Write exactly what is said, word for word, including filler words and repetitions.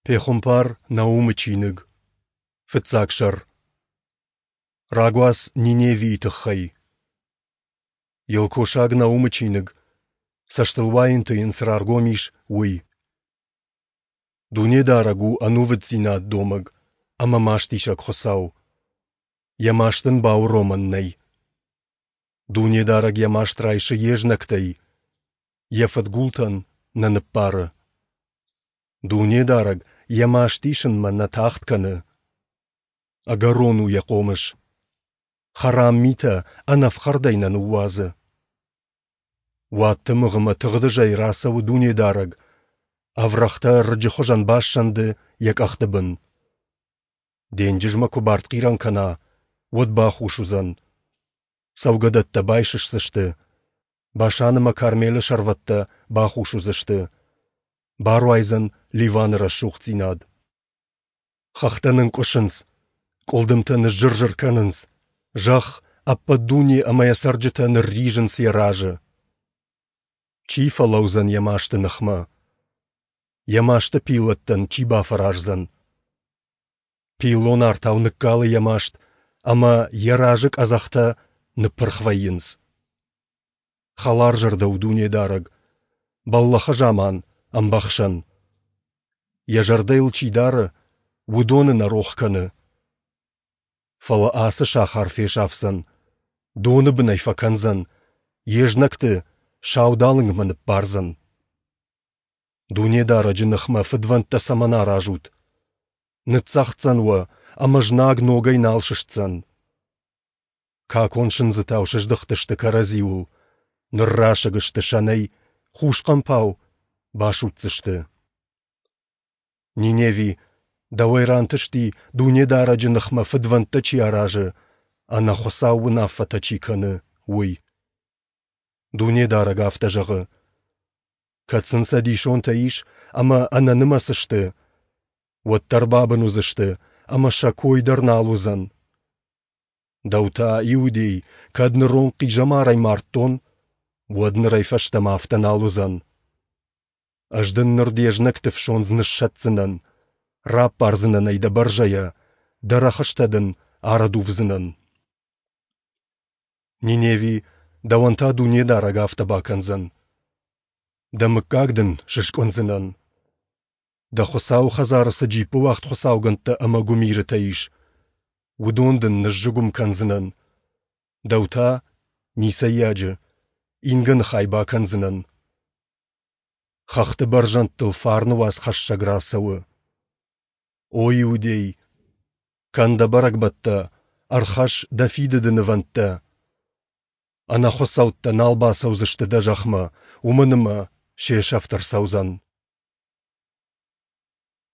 Пехуымпар Наумы чиныг, фыццаг сӕр. Рагуац Ниневийы тыххӕй. Елкосаг Наумы чиныг, цӕстылуайӕнты йын цы раргом ис, уый. Дунедарӕг у ӕнувыддзинад домӕг ӕмӕ мастисӕг Хуыцау. Йӕ маст ын бауромӕн нӕй. Дунедарӕг йӕ маст райсы йе знӕгтӕй, йӕ фыдгултӕн нӕ ныббары. Дунедарӕг йӕ маст исынмӕ нӕ тагъд кӕны. Ӕгӕрон у йӕ хъомыс. Хӕрам митӕ ӕнӕфхӕрдӕй нӕ ныууадзы. Уадтымыгъ ӕмӕ тыгъдызӕй рацӕуы Дунедарӕг, ӕврӕгътӕ рыджы хуызӕн бассӕнды йӕ къӕхты бын. Денджызмӕ куы бартхъирӕн кӕна, уӕд бахус уыдзӕн. Цӕугӕдӕттӕ байсысдзысты, Башан ӕмӕ Кармелы сӕрвӕттӕ бахус уыдзысты. Баруайдзӕн Ливаны рӕсугъддзинад. Хӕхтӕ нынкъуысынц, къуылдымтӕ ныззыр-зыр кӕнынц, зӕхх, ӕппӕт дуне ӕмӕ йӕ цӕрджытӕ нырризынц йӕ разы. Чи фӕлӕудзӕн йӕ масты ныхмӕ? Йӕ масты пиллӕттӕн чи бафӕраздзӕн? Пиллон артау ныккалы йӕ маст, ӕмӕ йӕ разы къӕдзӕхтӕ ныппырх вӕййынц. Хӕларзӕрдӕ у Дунедарӕг, бӕллӕхы заман ӕмбӕхсӕн. Йӕ зӕрдӕ йыл чи дары, уыдоны нӕ рох кӕны. Фӕлӕ ацы сахар фесафдзӕн, доны бын ӕй фӕкӕндзӕн, йе знӕгты саудалынгмӕ ныппардзӕн. Дунедарӕджы ныхмӕ фыдвӕндтӕ цӕмӕн аразут? Ныццӕгъддзӕн уӕ, ӕмӕ знаг ногӕй нал сыстдзӕн. Какон сындзытау сыздыхтысты кӕрӕдзиуыл, ныррасыг сты сӕнӕй, хус хъӕмпау басудздзысты. Ниневи, дӕуӕй рантысти, Дунедарӕджы ныхмӕ фыдвӕндтӕ чи аразы, ӕнӕхуыцау уынаффӕтӕ чи кӕны, уый. Дунедарӕг афтӕ зӕгъы: Кӕд сын цӕдисонтӕ ис ӕмӕ ӕнӕнымӕц сты, уӕддӕр бабын уыдзысты, ӕмӕ сӕ кой дӕр нал уыдзӕн. Дӕу та, Иудей, кӕд ныронг хъизӕмарӕй мардтон, уӕд нырӕй фӕстӕмӕ афтӕ нал уыдзӕн. Ӕз дын ныр де знӕгты фсондз ныссӕтдзынӕн, раппардзынӕн ӕй дӕ бӕрзӕйӕ, дӕ рӕхыстӕ дын арӕдувдзынӕн. Ниневи, дӕуӕн та Дунедарӕг афтӕ бакӕндзӕн: дӕ мыггаг дын сыскъуындзынӕн. Дӕ Хуыцауы хӕдзары цы джиппыуагъд хуыцаугӕндтӕ ӕмӕ гуымирытӕ ис, уыдон дын ныззыгуым кӕндзынӕн, дӕу та, ницӕййаджы, ингӕны хай бакӕндзынӕн. Хӕхты бӕрзӕндтыл фарны уацхӕссӕг рацӕуы. О Иудей, кӕн дӕ бӕрӕгбӕттӕ, ӕрхӕсс дӕ фидыды нывӕндтӕ. Ӕнӕхуыцӕуттӕ нал бацӕудзысты дӕ зӕхмӕ, уымӕн ӕмӕ се сӕфт ӕрцӕудзӕн.